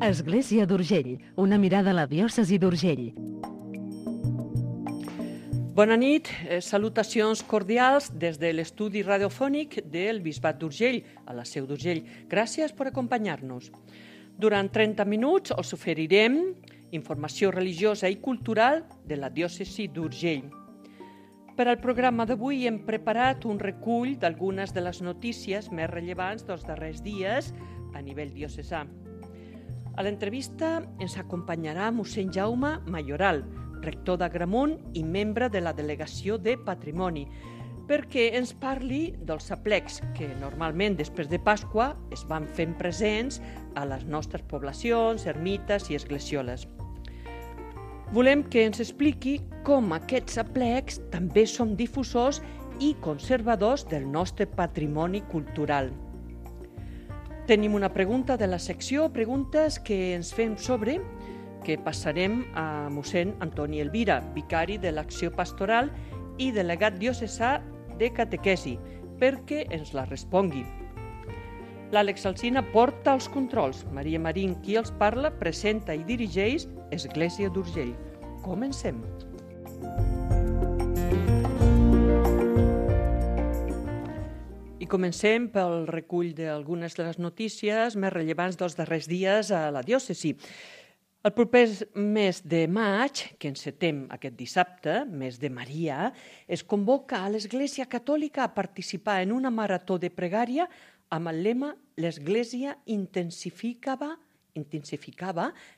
Església d'Urgell, una mirada a la diòcesi d'Urgell. Bona nit, salutacions cordials des de l'estudi radiofònic del Bisbat d'Urgell, a la Seu d'Urgell. Gràcies per acompanyar-nos. Durant 30 minuts us oferirem informació religiosa i cultural de la diòcesi d'Urgell. Per al programa d'avui hem preparat un recull d'algunes de les notícies més rellevants dels darrers dies a nivell diocesà. A l'entrevista ens acompanyarà mossèn Jaume Mayoral, rector d'Agramunt i membre de la Delegació de Patrimoni, perquè ens parli dels aplecs que normalment després de Pasqua es van fent presents a les nostres poblacions, ermites i esglesioles. Volem que ens expliqui com aquests aplecs també són difusors i conservadors del nostre patrimoni cultural. Tenim una pregunta de la secció Preguntes que ens fem sobre, que passarem a mossèn Antoni Elvira, vicari de l'Acció Pastoral i delegat diocesà de catequesi, perquè ens la respongui. L'Àlex Alsina porta els controls. Maria Marín, qui els parla, presenta i dirigeix Església d'Urgell. Comencem. I comencem pel recull d'algunes de les notícies més rellevants dels darrers dies a la diòcesi. El proper mes de maig, que encetem aquest dissabte, mes de Maria, es convoca a l'Església Catòlica a participar en una marató de pregària amb el lema «L'Església intensificava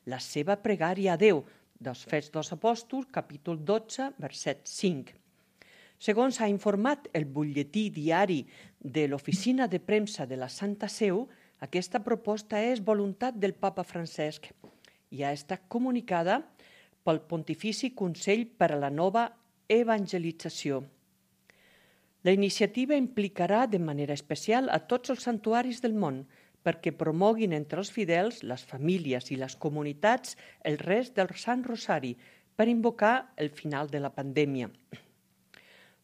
la seva pregària a Déu», dels Fets dels Apòstols, capítol 12, verset 5. Segons ha informat el butlletí diari de l'Oficina de Premsa de la Santa Seu, aquesta proposta és voluntat del Papa Francesc i ha estat comunicada pel Pontifici Consell per a la Nova Evangelització. La iniciativa implicarà de manera especial a tots els santuaris del món perquè promoguin entre els fidels, les famílies i les comunitats el rest del Sant Rosari per invocar el final de la pandèmia.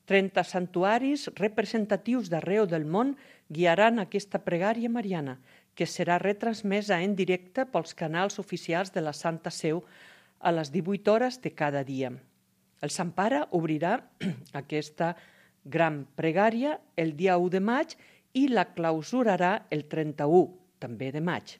30 santuaris representatius d'arreu del món guiaran aquesta pregària mariana, que serà retransmesa en directe pels canals oficials de la Santa Seu a les 18 hores de cada dia. El Sant Pare obrirà aquesta gran pregària el dia 1 de maig i la clausurarà el 31, també de maig.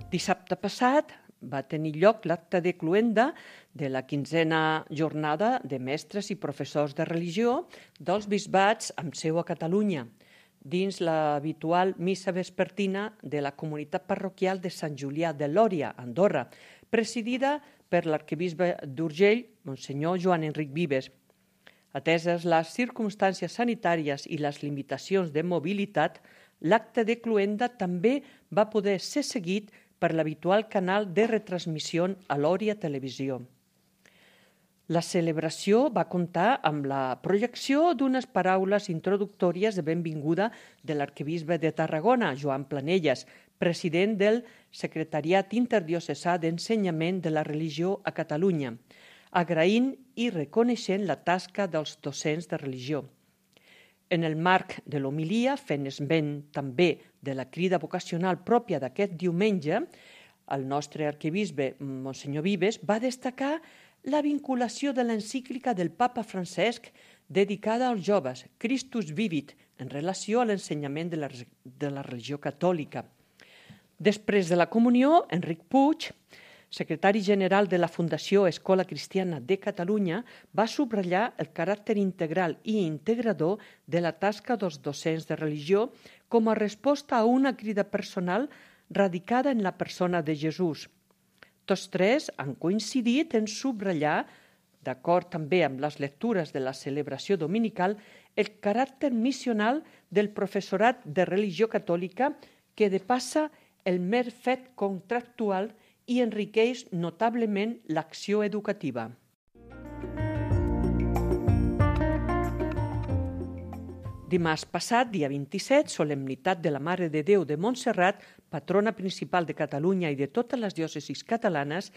Dissabte passat va tenir lloc l'acte de cloenda de la 15a jornada de mestres i professors de religió dels bisbats amb seu a Catalunya, dins l'habitual missa vespertina de la comunitat parroquial de Sant Julià de Lòria, Andorra, presidida per l'arquebisbe d'Urgell, Monsenyor Joan Enric Vives. Ateses les circumstàncies sanitàries i les limitacions de mobilitat, l'acte de cloenda també va poder ser seguit per l'habitual canal de retransmissió a Lòria Televisió. La celebració va comptar amb la projecció d'unes paraules introductòries de benvinguda de l'arquebisbe de Tarragona, Joan Planelles, president del Secretariat Interdiocesà d'Ensenyament de la Religió a Catalunya, agraint i reconeixent la tasca dels docents de religió. En el marc de l'homilia, fent esment també de la crida vocacional pròpia d'aquest diumenge, el nostre arquebisbe, Monsenyor Vives, va destacar la vinculació de l'encíclica del Papa Francesc dedicada als joves, Christus Vivit, en relació a l'ensenyament de la religió catòlica. Després de la comunió, Enric Puig, secretari general de la Fundació Escola Cristiana de Catalunya, va subratllar el caràcter integral i integrador de la tasca dels docents de religió com a resposta a una crida personal radicada en la persona de Jesús. Tots tres han coincidit en subratllar, d'acord també amb les lectures de la celebració dominical, el caràcter missional del professorat de religió catòlica que depassa el mer fet contractual i enriqueix notablement l'acció educativa. Dimarts passat, dia 27, solemnitat de la Mare de Déu de Montserrat, patrona principal de Catalunya i de totes les diòcesis catalanes,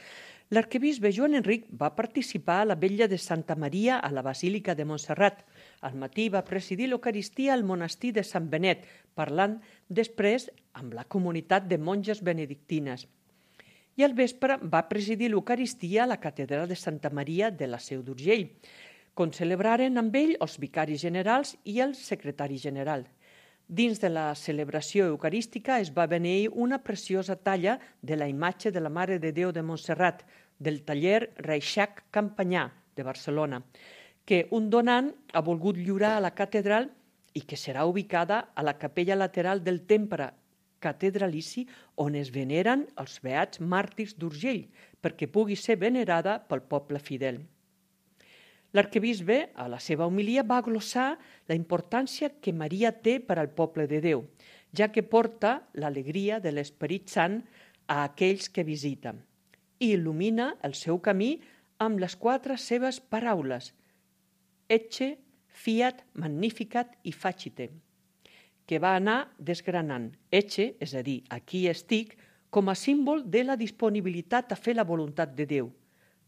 l'arquebisbe Joan Enric va participar a la vetlla de Santa Maria a la Basílica de Montserrat, Al matí va presidir l'Eucaristia al monestir de Sant Benet, parlant després amb la comunitat de monges benedictines. I al vespre va presidir l'Eucaristia a la catedral de Santa Maria de la Seu d'Urgell, on celebraren amb ell els vicaris generals i el secretari general. Dins de la celebració eucarística es va beneir una preciosa talla de la imatge de la Mare de Déu de Montserrat, del taller Reixac Campanyà de Barcelona, que un donant ha volgut lliurar a la catedral i que serà ubicada a la capella lateral del temple catedralici on es veneren els beats màrtirs d'Urgell, perquè pugui ser venerada pel poble fidel. L'arquebisbe, a la seva homilia, va glossar la importància que Maria té per al poble de Déu, ja que porta l'alegria de l'Esperit Sant a aquells que visita i il·lumina el seu camí amb les 4 seves paraules: Ecce, fiat, magnificat i facite, que va anar desgranant. Ecce, és a dir, aquí estic, com a símbol de la disponibilitat a fer la voluntat de Déu.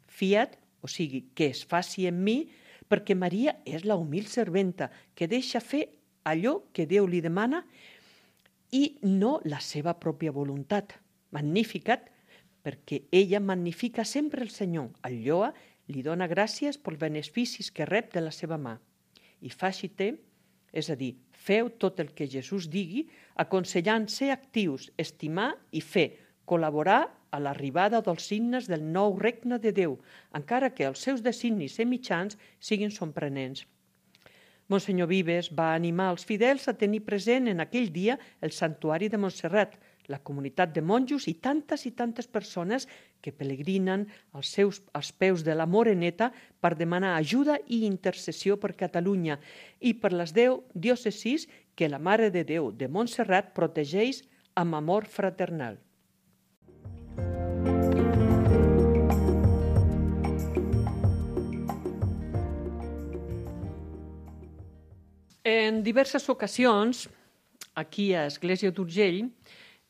Fiat, o sigui, que es faci en mi, perquè Maria és la humil serventa que deixa fer allò que Déu li demana i no la seva pròpia voluntat. Magnificat, perquè ella magnifica sempre el Senyor, el lloa, li dona gràcies pels beneficis que rep de la seva mà. I facite, és a dir, feu tot el que Jesús digui, aconsellant ser actius, estimar i fer, col·laborar a l'arribada dels signes del nou regne de Déu, encara que els seus designis i mitjans siguin sorprenents. Monsenyor Vives va animar els fidels a tenir present en aquell dia el santuari de Montserrat, la comunitat de monjos i tantes persones que pelegrinen als peus de la Moreneta per demanar ajuda i intercessió per Catalunya i per les 10 diòcesis que la Mare de Déu de Montserrat protegeix amb amor fraternal. En diverses ocasions, aquí a Església d'Urgell,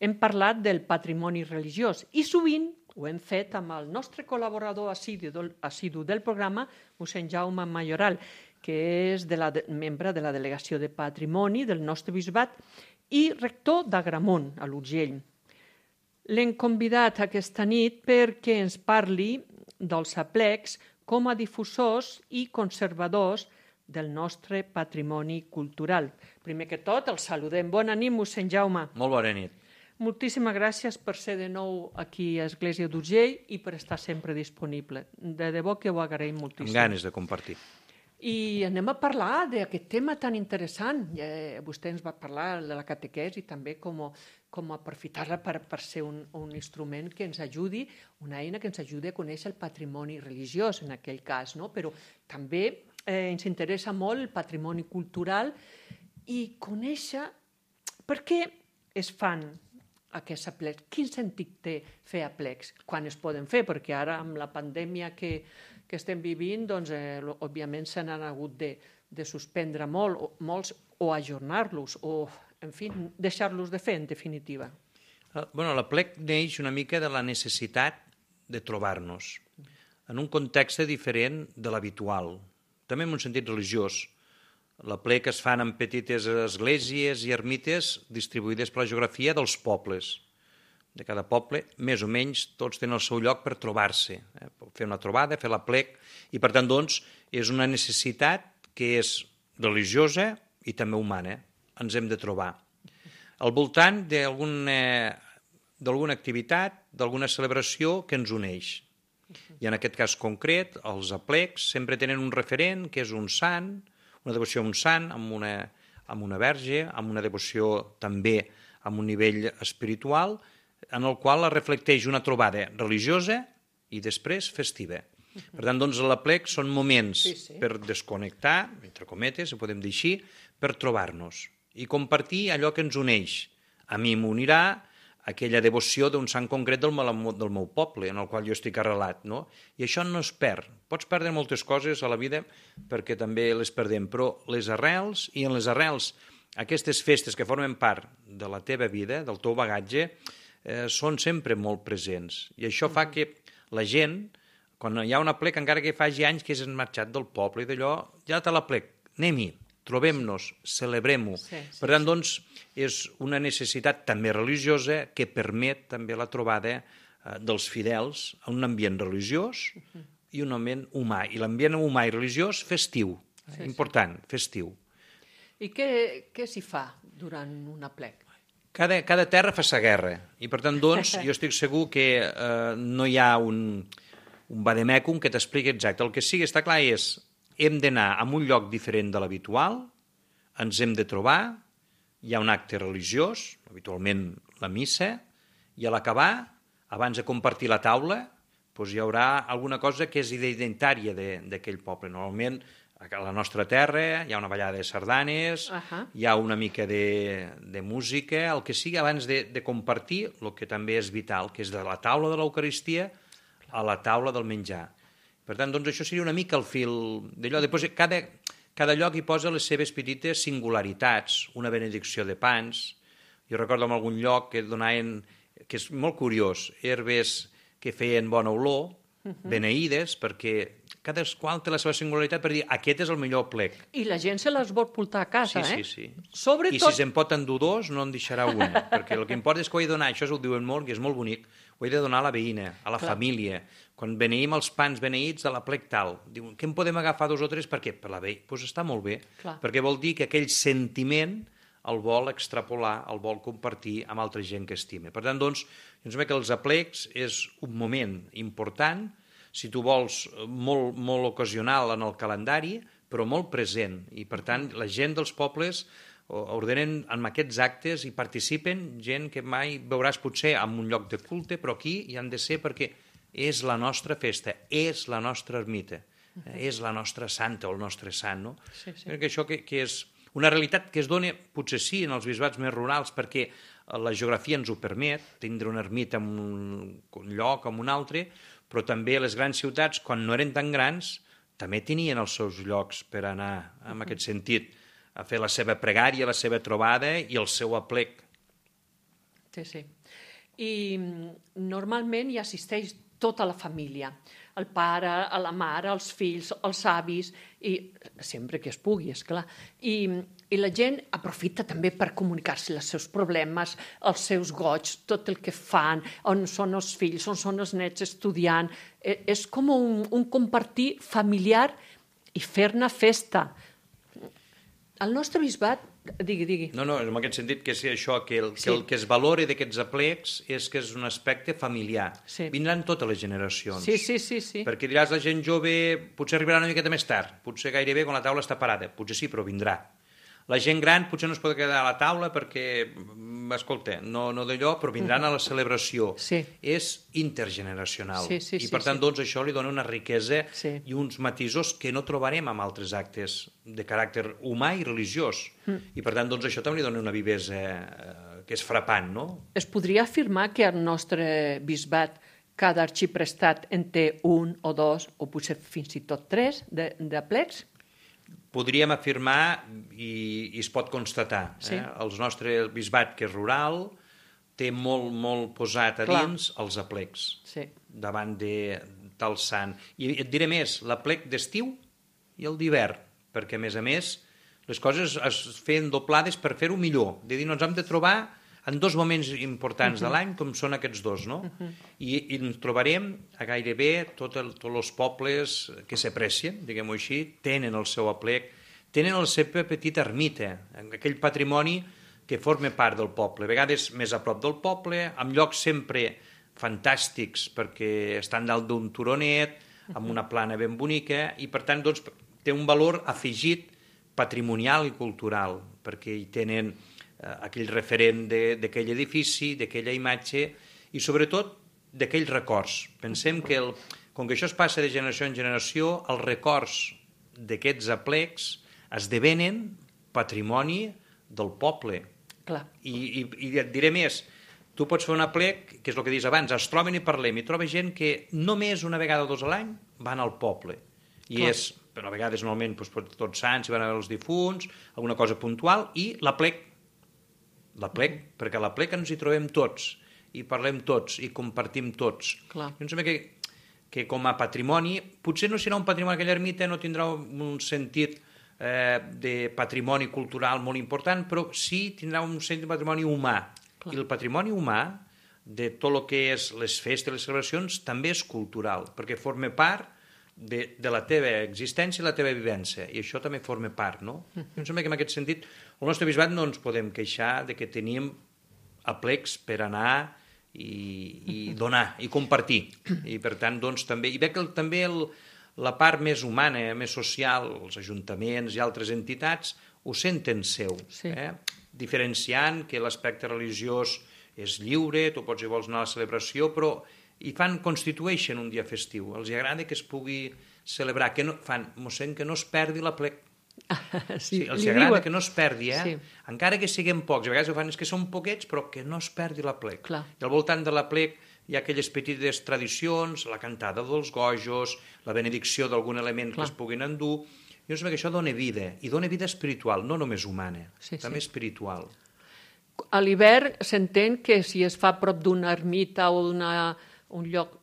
hem parlat del patrimoni religiós i sovint ho hem fet amb el nostre col·laborador assidu del programa, mossèn Jaume Mayoral, que és membre de la Delegació de Patrimoni del nostre bisbat i rector d'Agramunt, a l'Urgell. L'hem convidat aquesta nit perquè ens parli dels aplecs com a difusors i conservadors del nostre patrimoni cultural. Primer que tot, el saludem. Bona nit, mossèn Jaume. Molt bona nit. Moltíssimes gràcies per ser de nou aquí a Església d'Urgell i per estar sempre disponible. De debò que ho agraïm moltíssim. Amb ganes de compartir. I anem a parlar d'aquest tema tan interessant. Vostè ens va parlar de la catequesi i també com aprofitar-la per ser un instrument que ens ajudi, una eina que ens ajudi a conèixer el patrimoni religiós, en aquell cas, no? Però també ens interessa molt el patrimoni cultural i conèixer per què es fan aquests aplecs. Quin sentit té fer aplecs? Quan es poden fer? Perquè ara, amb la pandèmia que estem vivint, doncs, òbviament se n'han hagut de suspendre molts o ajornar-los o, en fi, deixar-los de fer, en definitiva. L'aplec neix una mica de la necessitat de trobar-nos en un context diferent de l'habitual, també en un sentit religiós. L'aplec es fan en petites esglésies i ermites distribuïdes per la geografia dels pobles. De cada poble, més o menys, tots tenen el seu lloc per trobar-se, fer una trobada, fer l'aplec, i per tant, doncs, és una necessitat que és religiosa i també humana. Ens hem de trobar. Al voltant d'alguna activitat, d'alguna celebració que ens uneix. I en aquest cas concret, els aplecs sempre tenen un referent, que és un sant, una devoció a un sant, amb una verge, amb una devoció també amb un nivell espiritual, en el qual es reflecteix una trobada religiosa i després festiva. Per tant, doncs, l'aplec són moments per desconnectar, entre cometes, ho podem dir així, per trobar-nos i compartir allò que ens uneix. A mi m'unirà aquella devoció d'un sant concret del meu poble, en el qual jo estic arrelat, no? I això no es perd. Pots perdre moltes coses a la vida perquè també les perdem, però les arrels, i en les arrels aquestes festes que formen part de la teva vida, del teu bagatge, són sempre molt presents. I això fa que la gent, quan hi ha un aplec, encara que faci anys que és marxat del poble i d'allò, ja té l'aplec, anem-hi, trobem-nos, celebrem-ho. Per tant, doncs, és una necessitat també religiosa que permet també la trobada dels fidels en un ambient religiós i un ambient humà. I l'ambient humà i religiós festiu, important, festiu. I què s'hi fa durant un aplec? Cada terra fa sa guerra i, per tant, doncs, jo estic segur que no hi ha un vademecum que t'expliqui exacte. El que sí que està clar és hem d'anar a un lloc diferent de l'habitual, ens hem de trobar, hi ha un acte religiós, habitualment la missa, i a l'acabar, abans de compartir la taula, doncs hi haurà alguna cosa que és identitària d'aquell poble. Normalment, a la nostra terra hi ha una ballada de sardanes, hi ha una mica de música, el que sigui abans de compartir el que també és vital, que és de la taula de l'Eucaristia a la taula del menjar. Per tant, doncs, això seria una mica el fil d'allò. Després, cada lloc hi posa les seves petites singularitats, una benedicció de pans. Jo recordo en algun lloc que donaven, que és molt curiós, herbes que feien bona olor, beneïdes, perquè cadascun té la seva singularitat per dir aquest és el millor plec. I la gent se les vol portar a casa, Sí. I si se'n pot endur dos, no en deixarà una, perquè el que importa és que ho he de donar, això ho diuen molt, que és molt bonic, ho he de donar a la veïna, a la família. Quan beneïm els pans beneïts de la plec tal, diuen, què en podem agafar 2 o 3? Per què? Per la veïna. Doncs està molt bé, perquè vol dir que aquell sentiment el vol extrapolar, el vol compartir amb altra gent que estima. Per tant, doncs, jo em sembla que els aplecs és un moment important, si tu vols, molt ocasional en el calendari, però molt present. I, per tant, la gent dels pobles ordenen en aquests actes i participen gent que mai veuràs potser en un lloc de culte, però aquí hi han de ser perquè és la nostra festa, és la nostra ermita, és la nostra santa o el nostre sant. No? Crec que això que és una realitat que es dona, potser sí, en els bisbats més rurals, perquè la geografia ens ho permet, tindre una ermita en un lloc o en un altre, però també les grans ciutats, quan no eren tan grans, també tenien els seus llocs per anar, en aquest sentit, a fer la seva pregària, la seva trobada i el seu aplec. Sí. I normalment hi assisteix tota la família, el pare, la mare, els fills, els avis, i sempre que es pugui, esclar. I la gent aprofita també per comunicar-se els seus problemes, els seus goig, tot el que fan, on són els fills, on són els nets estudiant. És com un compartir familiar i fer-ne festa. El nostre bisbat... Digui. No, en aquest sentit que és això, que el que es valora d'aquests aplecs és que és un aspecte familiar. Vindran totes les generacions. Sí. Perquè diràs, la gent jove potser arribarà una miqueta més tard, potser gairebé quan la taula està parada, potser sí, però vindrà. La gent gran potser no es pot quedar a la taula perquè, escolta, no d'allò, però vindran a la celebració. És intergeneracional. I per tant, doncs, això li dona una riquesa i uns matisos que no trobarem en altres actes de caràcter humà i religiós. I per tant, doncs, això també li dona una vivesa que és frapant, no? Es podria afirmar que el nostre bisbat, cada arxiprestat en té 1 o 2 o potser fins i tot 3 d'aplecs? Podríem afirmar, i es pot constatar, el nostre bisbat, que és rural, té molt posat a dins els aplecs, davant de tal sant. I et diré més, l'aplec d'estiu i el d'hivern, perquè, a més, les coses es feien doblades per fer-ho millor. De dir, ens hem de trobar en 2 moments importants de l'any, com són aquests 2, no? I ens trobarem a gairebé tots els pobles que s'aprecien, diguem-ho així, tenen el seu aplec, tenen la seva petita ermita, aquell patrimoni que forma part del poble, a vegades més a prop del poble, amb llocs sempre fantàstics, perquè estan dalt d'un turonet, amb una plana ben bonica, i per tant, doncs, té un valor afegit patrimonial i cultural, perquè hi tenen aquell referent d'aquell edifici, d'aquella imatge i sobretot d'aquells records. Pensem que com que això es passa de generació en generació, els records d'aquests aplecs esdevenen patrimoni del poble. I et diré més, tu pots fer un aplec, que és el que dius abans, es troben i parlem, i troba gent que només una vegada o 2 a l'any van al poble. I és, però a vegades normalment tots sants, hi van a veure els difunts, alguna cosa puntual, i l'aplec, perquè a l'aplec ens hi trobem tots, i parlem tots, i compartim tots. Jo em sembla que com a patrimoni, potser no serà un patrimoni, aquella ermita no tindrà un sentit de patrimoni cultural molt important, però sí tindrà un centre de patrimoni humà. I el patrimoni humà de tot el que és les festes, les celebracions, també és cultural, perquè forma part de la teva existència i la teva vivència, i això també forma part, no? Em sembla que en aquest sentit el nostre bisbat no ens podem queixar de que teníem aplecs per anar i donar i compartir, i per tant doncs també, i veig que també la part més humana, més social, els ajuntaments i altres entitats ho senten seu, diferenciant que l'aspecte religiós és lliure, tu pots i vols anar a la celebració, però constitueixen un dia festiu. Els agrada que es pugui celebrar, mossèn, que no es perdi l'aplec. Els agrada que no es perdi, encara que siguem pocs. A vegades ho fan, és que són poquets, però que no es perdi l'aplec. I al voltant de l'aplec hi ha aquelles petites tradicions, la cantada dels gojos, la benedicció d'algun element que es puguin endur. Jo sembla que això dona vida, i dona vida espiritual, no només humana, també espiritual. A l'hivern s'entén que si es fa a prop d'una ermita o un lloc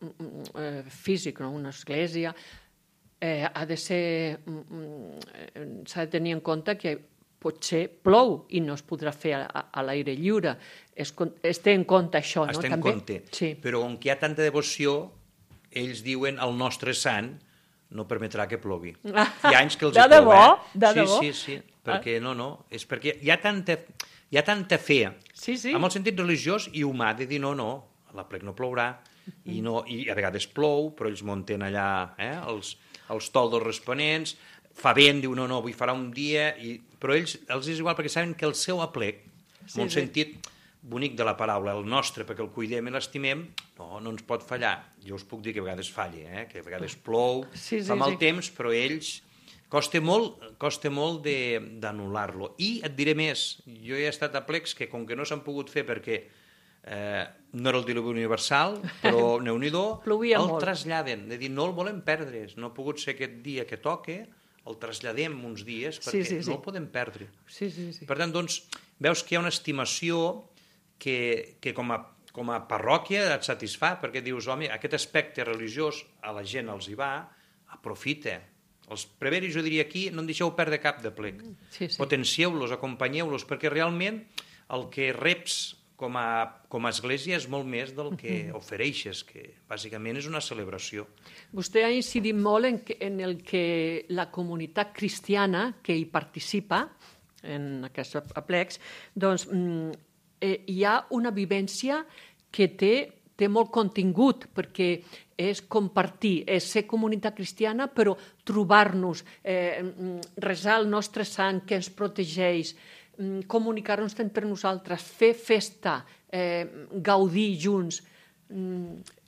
físic, una església, s'ha de tenir en compte que potser plou i no es podrà fer a l'aire lliure. Es té en compte això, no? Es té en compte, però on hi ha tanta devoció, ells diuen el nostre sant no permetrà que plogui. Hi ha anys que els hi plou, De debò? Sí, perquè és perquè hi ha tanta fe, amb el sentit religiós i humà, de dir no, l'aplec no plourà, i a vegades plou, però ells munten allà els toldos responents, fa vent, diu no, avui farà un dia, però ells és igual perquè saben que el seu aplec, en un sentit bonic de la paraula, el nostre, perquè el cuidem i l'estimem, no ens pot fallar. Jo us puc dir que a vegades falli, que a vegades plou, fa mal temps, però ells costa molt d'anul·lar-lo. I et diré més, jo he estat a plecs que com que no s'han pogut fer perquè no era el diluvi universal, però Déu-n'hi-do, el traslladen, de dir no el volem perdre, no ha pogut ser aquest dia que toque, el traslladem uns dies perquè no el podem perdre. Per tant, doncs, veus que hi ha una estimació que com a parròquia et satisfà, perquè dius, home, aquest aspecte religiós a la gent els hi va, aprofita. Els preveris, jo diria aquí, no en deixeu perdre cap de plec. Potencieu-los, acompanyeu-los, perquè realment el que reps com a església és molt més del que ofereixes, que bàsicament és una celebració. Vostè ha incidit molt en el que la comunitat cristiana que hi participa, en aquests aplecs, doncs hi ha una vivència que té molt contingut, perquè és compartir, és ser comunitat cristiana, però trobar-nos, resar el nostre sant que ens protegeix, comunicar-nos entre nosaltres, fer festa, gaudir junts.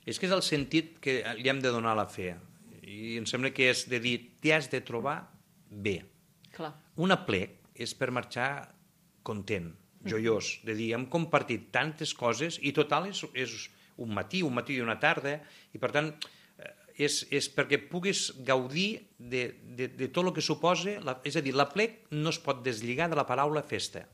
És que és el sentit que li hem de donar a la fe. I em sembla que és de dir, t'hi has de trobar bé. Un aplec és per marxar content, joiós, de dir, hem compartit tantes coses i total és un matí i una tarda, i per tant és perquè puguis gaudir de tot el que suposa, és a dir, l'aplec no es pot deslligar de la paraula festa.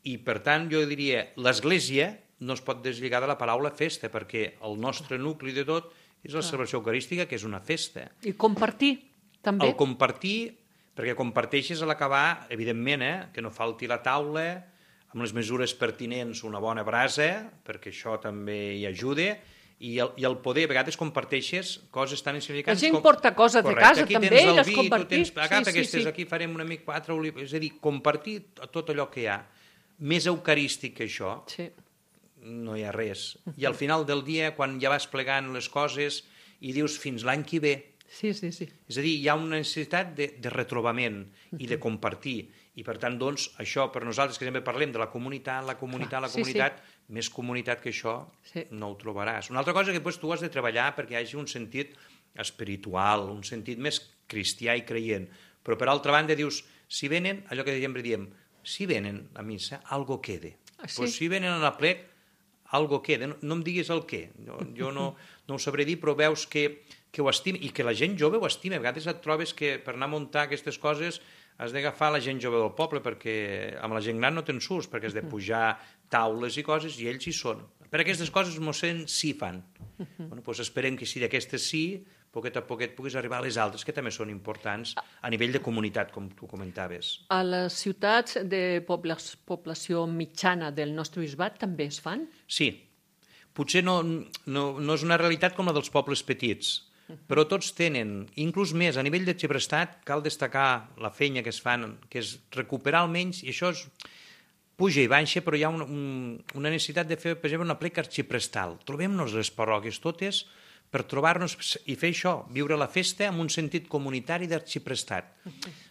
I per tant jo diria, l'església no es pot deslligar de la paraula festa, perquè el nostre nucli de tot és la celebració eucarística, que és una festa. I compartir, també. El compartir, perquè comparteixes a l'acabar, evidentment, que no falti la taula, amb les mesures pertinents, una bona brasa, perquè això també hi ajuda, i el poder, a vegades comparteixes coses tan insignificants com... La gent porta coses de casa, també, i les compartir. Agafa aquestes, aquí farem una mica 4 olives, és a dir, compartir tot allò que hi ha. Més eucarístic que això, no hi ha res. I al final del dia, quan ja vas plegant les coses i dius fins l'any que ve, és a dir, hi ha una necessitat de retrobament i de compartir. I per tant, doncs, això per nosaltres que sempre parlem de la comunitat, més comunitat que això no ho trobaràs. Una altra cosa que tu has de treballar perquè hi hagi un sentit espiritual, un sentit més cristià i creient. Però per altra banda dius, si venen, allò que sempre diem, si venen a missa, algo quede. Pues si venen a l'aplec, algo quede. No em diguis el què. Jo no ho sabré dir, però veus que ho estima, i que la gent jove ho estima. A vegades et trobes que per anar a muntar aquestes coses has d'agafar la gent jove del poble, perquè amb la gent gran no te'n surts, perquè has de pujar taules i coses, i ells hi són. Per aquestes coses, mossèn, sí fan. Doncs esperem que si d'aquestes sí, poquet a poquet puguis arribar a les altres, que també són importants a nivell de comunitat, com tu comentaves. A les ciutats de població mitjana del nostre bisbat també es fan? Sí. Potser no és una realitat com la dels pobles petits, però tots tenen, inclús més, a nivell de Xiprestat, cal destacar la feina que es fan, que és recuperar almenys, i això és puja i baixa, però hi ha una necessitat de fer, per exemple, una pleca arxiprestal. Trobem-nos les parròquies totes per trobar-nos i fer això, viure la festa amb un sentit comunitari d'arxiprestat.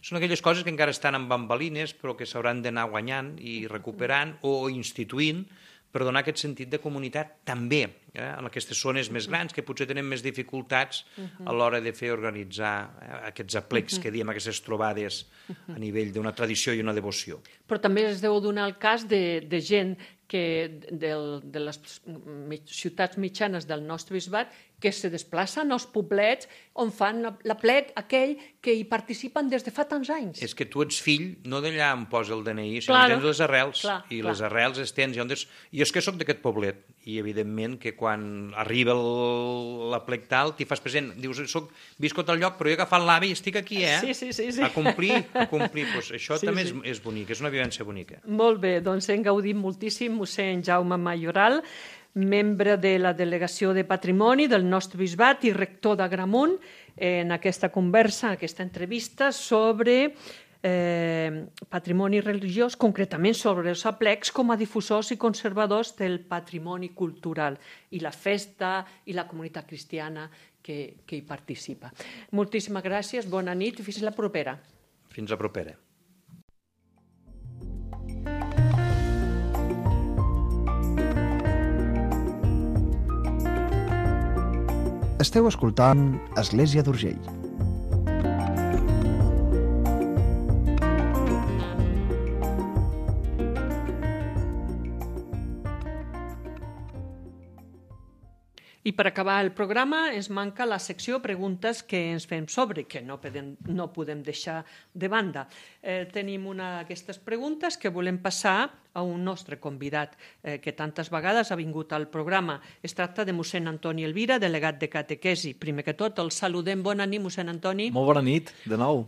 Són aquelles coses que encara estan en bambalines, però que s'hauran d'anar guanyant i recuperant o instituint per donar aquest sentit de comunitat també en aquestes zones més grans que potser tenen més dificultats a l'hora de fer organitzar aquests aplecs que diem, aquestes trobades a nivell d'una tradició i una devoció. Però també es deu donar el cas de gent de les ciutats mitjanes del nostre bisbat que se desplacen als poblets on fan l'aplec aquell que hi participen des de fa tants anys. És que tu ets fill no d'allà on posa el DNI, sinó que tens les arrels, i les arrels es tens. I és que sóc d'aquest poblet, i evidentment que quan arriba l'aplec tal, t'hi fas present, dius, visco a tal lloc, però he agafat l'AVE i estic aquí, Sí. A complir. Pues això també és bonic, és una vivència bonica. Molt bé, doncs hem gaudit moltíssim, mossèn Jaume Mayoral, membre de la Delegació de Patrimoni del nostre bisbat i rector d'Agramunt, en aquesta conversa, aquesta entrevista sobre patrimoni religiós, concretament sobre els aplecs com a difusors i conservadors del patrimoni cultural i la festa i la comunitat cristiana que hi participa. Moltíssimes gràcies, bona nit i fins la propera. Fins la propera. Esteu escoltant Església d'Urgell. I per acabar el programa ens manca la secció preguntes que ens fem sobre, que no podem deixar de banda. Tenim una d'aquestes preguntes que volem passar a un nostre convidat que tantes vegades ha vingut al programa. Es tracta de mossèn Antoni Elvira, delegat de catequesi. Primer que tot, el saludem. Bona nit, mossèn Antoni. Molt bona nit, de nou.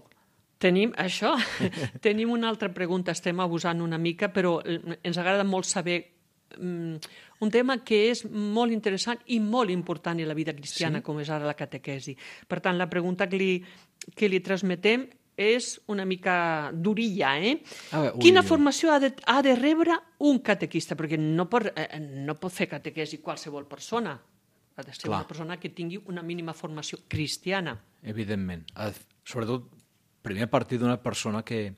Tenim una altra pregunta, estem abusant una mica, però ens agrada molt saber un tema que és molt interessant i molt important en la vida cristiana, com és ara la catequesi. Per tant, la pregunta que li transmetem és una mica durilla, Quina formació ha de rebre un catequista? Perquè no pot fer catequesi qualsevol persona. Ha de ser una persona que tingui una mínima formació cristiana. Evidentment. Sobretot, primer a partir d'una persona que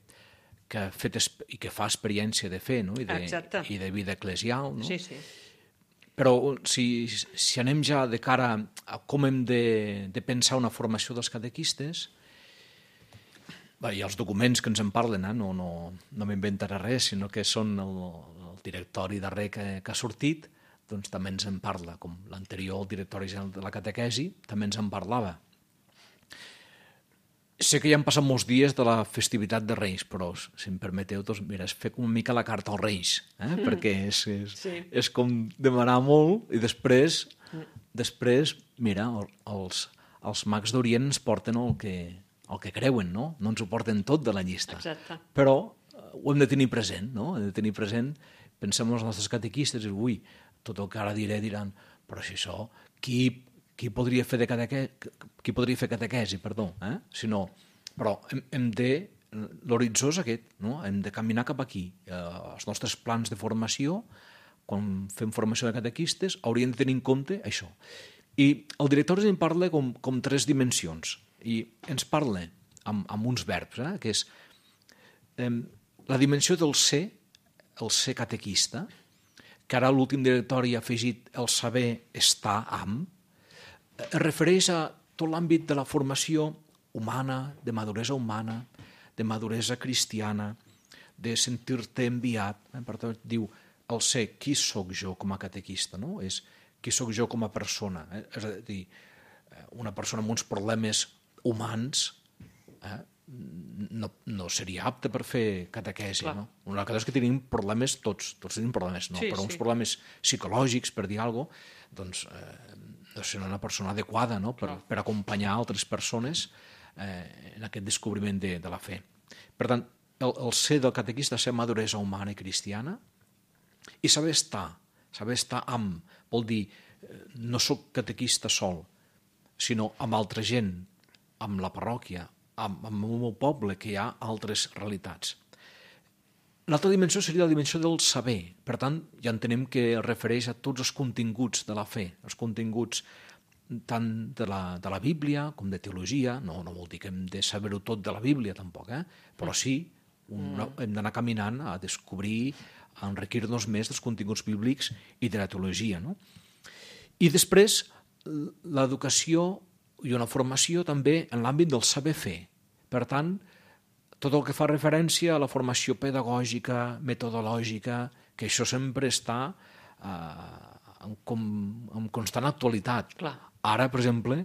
ha fet i que fa experiència de fer, no? I de vida eclesial. No? Sí, sí. Però si anem ja de cara a com hem de pensar una formació dels catequistes, i els documents que ens en parlen, no m'inventaré res, sinó que són el directori darrer que ha sortit, doncs també ens en parla, com l'anterior directori general de la catequesi també ens en parlava. Sé que ja han passat molts dies de la festivitat de Reis, però, si em permeteu, doncs, mira, és fer com una mica la carta als Reis, perquè és com demanar molt i després mira, els mags d'Orient ens porten el que creuen, no? No ens ho porten tot de la llista. Exacte. Però ho hem de tenir present, no? Hem de tenir present, pensem en els nostres catequistes i tot el que ara diran, però si això, qui podria fer catequesi, però l'horitzó és aquest, no? Hem de caminar cap aquí. Els nostres plans de formació, quan fem formació de catequistes, haurien de tenir en compte això. I el directori en parla com 3 dimensions, i ens parla amb uns verbs, que és la dimensió del ser, el ser catequista, que ara l'últim directori ha afegit el saber estar amb, es refereix a tot l'àmbit de la formació humana, de maduresa cristiana, de sentir-te enviat. Per tant, diu el ser, qui sóc jo com a catequista, no? És qui sóc jo com a persona. És a dir, una persona amb uns problemes humans, no seria apte per fer catequesi. No? Una cosa és que tenim problemes, tots tenim problemes, no? Però uns problemes psicològics, per dir alguna cosa, doncs no serà una persona adequada, no? per acompanyar altres persones en aquest descobriment de la fe. Per tant, el ser del catequista és ser maduresa humana i cristiana i saber estar amb, vol dir, no soc catequista sol, sinó amb altra gent, amb la parròquia, amb el meu poble, que hi ha altres realitats. L'altra dimensió seria la dimensió del saber. Per tant, ja entenem que es refereix a tots els continguts de la fe, els continguts tant de la Bíblia com de teologia. No vol dir que hem de saber-ho tot de la Bíblia, tampoc, però sí, hem d'anar caminant a descobrir, a enriquir-nos més dels continguts bíblics i de la teologia. No? I després, l'educació i una formació també en l'àmbit del saber fer. Per tant, tot el que fa referència a la formació pedagògica, metodològica, que això sempre està en constant actualitat. Clar. Ara, per exemple,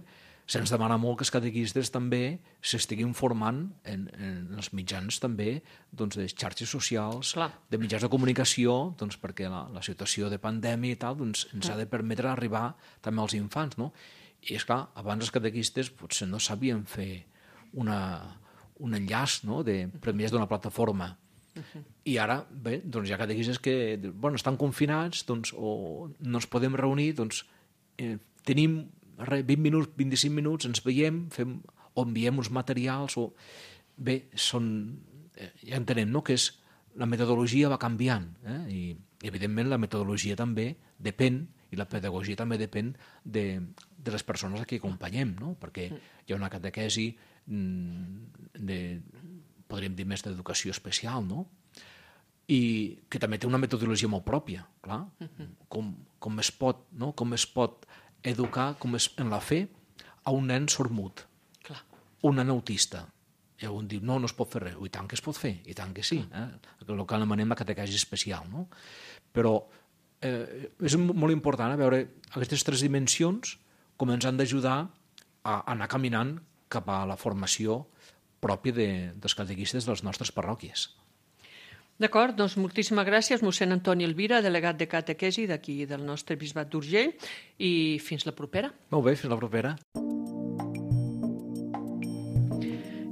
se'ns demana molt que els catequistes també s'estiguin formant en els mitjans també doncs, de xarxes socials, de mitjans de comunicació, doncs, perquè la situació de pandèmia i tal doncs, ens ha de permetre arribar també als infants. No? I és clar, abans els catequistes potser no sabien fer un enllaç, no? Per mitjà d'una plataforma. I ara, bé, doncs hi ha catequistes que estan confinats o no ens podem reunir, doncs tenim 20 minuts, 25 minuts, ens veiem, o enviem uns materials, bé, ja entenem, no?, que la metodologia va canviant, i evidentment la metodologia també depèn, i la pedagogia també depèn de les persones a qui acompanyem, no? Perquè hi ha una catequesi podríem dir més d'educació especial, no? I que també té una metodologia molt pròpia, clar. Com es pot educar en la fe a un nen sordmut, un nen autista. I algú diu, no es pot fer res. I tant que es pot fer, i tant que sí. El que anomenem la catequesi especial, no? Però és molt important veure aquestes tres dimensions com ens han d'ajudar a anar caminant cap a la formació pròpia dels catequistes de les nostres parròquies. D'acord, doncs moltíssimes gràcies, mossèn Antoni Elvira, delegat de catequesi d'aquí del nostre bisbat d'Urgell, i fins la propera. Molt bé, fins la propera.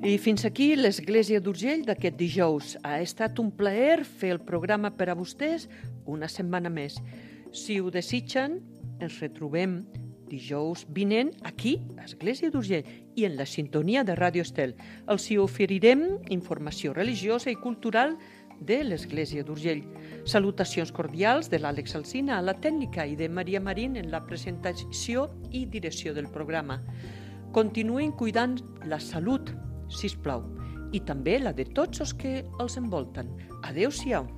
I fins aquí l'Església d'Urgell d'aquest dijous. Ha estat un plaer fer el programa per a vostès una setmana més. Si ho desitgen, ens retrobem dijous vinent aquí, a Església d'Urgell, i en la sintonia de Ràdio Estel. Els hi oferirem informació religiosa i cultural de l'Església d'Urgell. Salutacions cordials de l'Àlex Alsina a la tècnica i de Maria Marín en la presentació i direcció del programa. Continuïn cuidant la salut, sisplau, i també la de tots els que els envolten. Adéu-siau.